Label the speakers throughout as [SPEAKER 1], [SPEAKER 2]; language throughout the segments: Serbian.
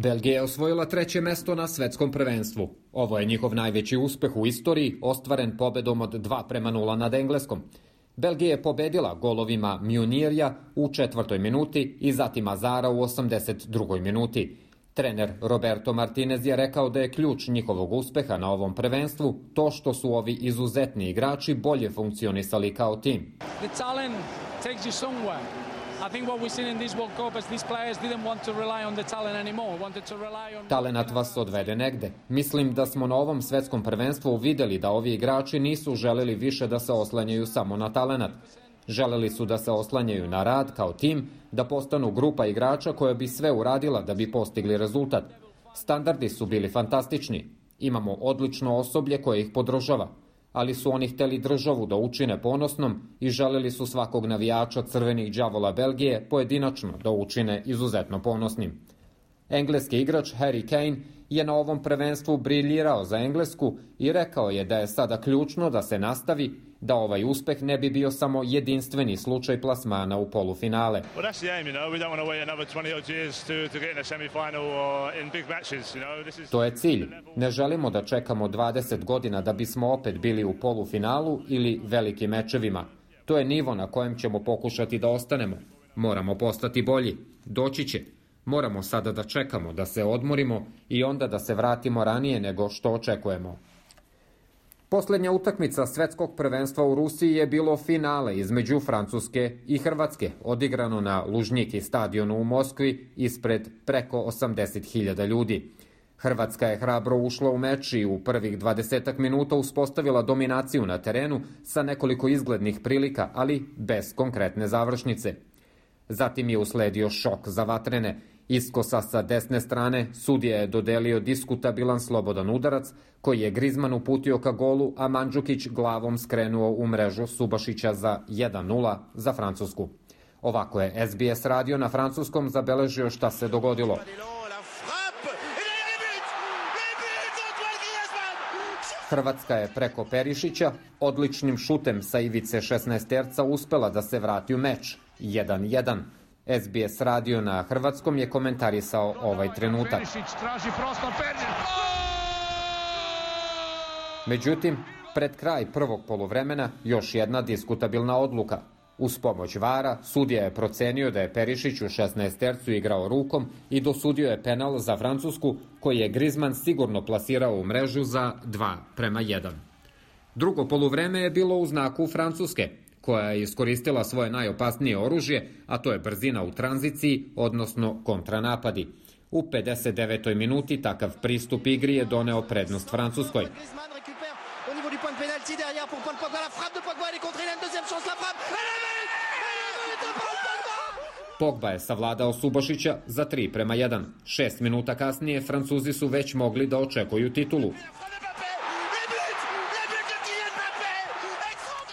[SPEAKER 1] Belgija je osvojila 3. mesto na svetskom prvenstvu. Ovo je njihov najveći uspeh u istoriji, ostvaren pobedom od 2:0 nad Engleskom. Belgija je pobedila golovima Munirja u 4. minuti i zatim Azara u 82. minuti. Trener Roberto Martinez je rekao da je ključ njihovog uspeha na ovom prvenstvu to što su ovi izuzetni igrači bolje funkcionisali kao tim.
[SPEAKER 2] The talent takes you somewhere. I think what we've seen in this World Cup is these players didn't want to rely on the talent anymore, wanted to rely on...
[SPEAKER 1] Talenat vas odvede negde. Mislim da smo na ovom svetskom prvenstvu videli da ovi igrači nisu želeli više da se oslanjaju samo na talenat. Želeli su da se oslanjaju na rad kao tim, da postanu grupa igrača koja bi sve uradila da bi postigli rezultat. Standardi su bili fantastični. Imamo odlično osoblje koje ih podržava, ali su oni hteli državu da učine ponosnom i želeli su svakog navijača crvenih đavola Belgije pojedinačno da učine izuzetno ponosnim. Engleski igrač Harry Kane je na ovom prvenstvu briljirao za Englesku i rekao je da je sada ključno da se nastavi, da ovaj uspeh ne bi bio samo jedinstveni slučaj plasmana u polufinale. To je cilj. Ne želimo da čekamo 20 godina da bismo opet bili u polufinalu ili velikim mečevima. To je nivo na kojem ćemo pokušati da ostanemo. Moramo postati bolji. Doći će. Moramo sada da čekamo, da se odmorimo i onda da se vratimo ranije nego što očekujemo. Poslednja utakmica svetskog prvenstva u Rusiji je bilo finale između Francuske i Hrvatske, odigrano na Lužniki stadionu u Moskvi ispred preko 80.000 ljudi. Hrvatska je hrabro ušla u meč i u prvih 20 minuta uspostavila dominaciju na terenu sa nekoliko izglednih prilika, ali bez konkretne završnice. Zatim je usledio šok za vatrene. Iskosa sa desne strane sudija je dodelio diskutabilan slobodan udarac koji je Grizman uputio ka golu, a Mandžukić glavom skrenuo u mrežu Subašića za 1:0 za Francusku. Ovako je SBS radio na francuskom zabeležio šta se dogodilo. Hrvatska je preko Perišića odličnim šutem sa ivice 16-terca uspela da se vrati u meč 1:1. SBS radio na hrvatskom je komentarisao ovaj trenutak. Međutim, pred kraj prvog poluvremena još jedna diskutabilna odluka. Uz pomoć VAR-a sudija je procenio da je Perišić u 16-tercu igrao rukom i dosudio je penal za Francusku koji je Grizman sigurno plasirao u mrežu za 2:1. Drugo poluvreme je bilo u znaku Francuske, koja je iskoristila svoje najopasnije oružje, a to je brzina u tranziciji, odnosno kontranapadi. U 59. minuti takav pristup igri je doneo prednost Francuskoj. Pogba je savladao Subašića za 3:1. 6 minuta kasnije Francuzi su već mogli da očekuju titulu.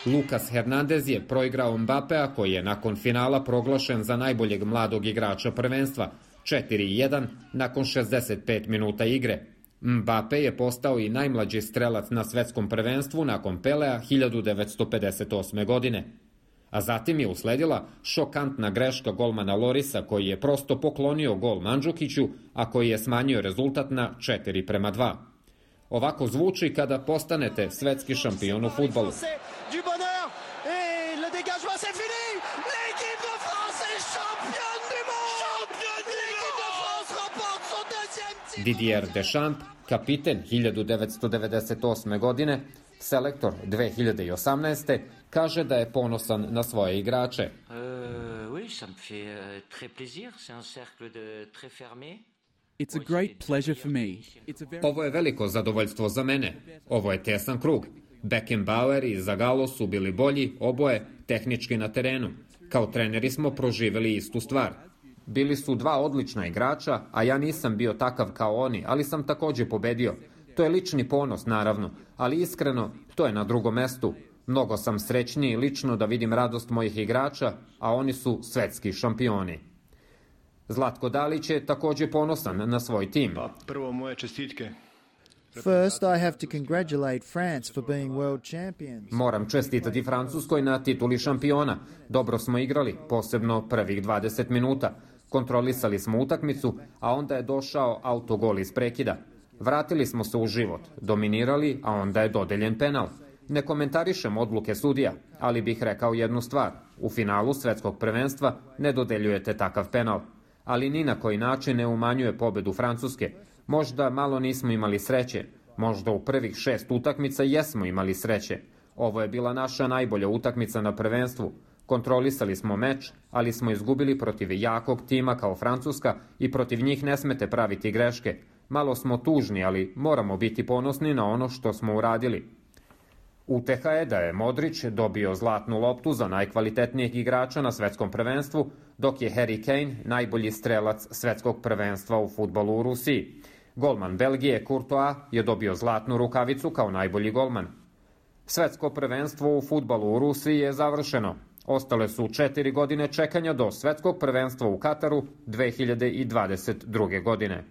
[SPEAKER 1] Lucas Hernandez je proigrao Mbapea koji je nakon finala proglašen za najboljeg mladog igrača prvenstva, 4:1 nakon 65 minuta igre. Mbappe je postao i najmlađi strelac na svetskom prvenstvu nakon Pelea 1958. godine. A zatim je usledila šokantna greška golmana Lorisa koji je prosto poklonio gol Mandžukiću, a koji je smanjio rezultat na 4:2. Ovako zvuči kada postanete svetski šampion u fudbalu. Didier Deschamps, kapiten 1998. godine, selektor 2018. kaže da je ponosan na svoje igrače.
[SPEAKER 3] It's a great pleasure for me.
[SPEAKER 1] Ovo je veliko zadovoljstvo za mene. Ovo je tesan krug. Beckenbauer i Zagallo su bili bolji, oboje tehnički na terenu. Kao treneri smo proživeli istu stvar. Bili su dva odlična igrača, a ja nisam bio takav kao oni, ali sam takođe pobedio. To je lični ponos, naravno, ali iskreno, to je na drugom mestu. Mnogo sam srećniji lično da vidim radost mojih igrača, a oni su svetski šampioni. Zlatko Dalić je takođe ponosan na svoj tim.
[SPEAKER 4] Prvo moje čestitke.
[SPEAKER 5] First, I have to congratulate France for being world champions.
[SPEAKER 1] Moram čestitati Francuskoj na tituli šampiona. Dobro smo igrali, posebno prvih 20 minuta. Kontrolisali smo utakmicu, a onda je došao autogol iz prekida. Vratili smo se u život, dominirali, a onda je dodeljen penal. Ne komentarišem odluke sudija, ali bih rekao jednu stvar. U finalu svetskog prvenstva ne dodeljujete takav penal. Ali ni na koji način ne umanjuje pobedu Francuske. Možda malo nismo imali sreće. Možda u prvih 6 utakmica jesmo imali sreće. Ovo je bila naša najbolja utakmica na prvenstvu. Kontrolisali smo meč, ali smo izgubili protiv jakog tima kao Francuska i protiv njih ne smete praviti greške. Malo smo tužni, ali moramo biti ponosni na ono što smo uradili. Uteha je da je Modrić dobio zlatnu loptu za najkvalitetnijeg igrača na svetskom prvenstvu, dok je Harry Kane najbolji strelac svetskog prvenstva u fudbalu u Rusiji. Golman Belgije Courtois je dobio zlatnu rukavicu kao najbolji golman. Svetsko prvenstvo u fudbalu u Rusiji je završeno. Ostale su 4 godine čekanja do svetskog prvenstva u Kataru 2022. godine.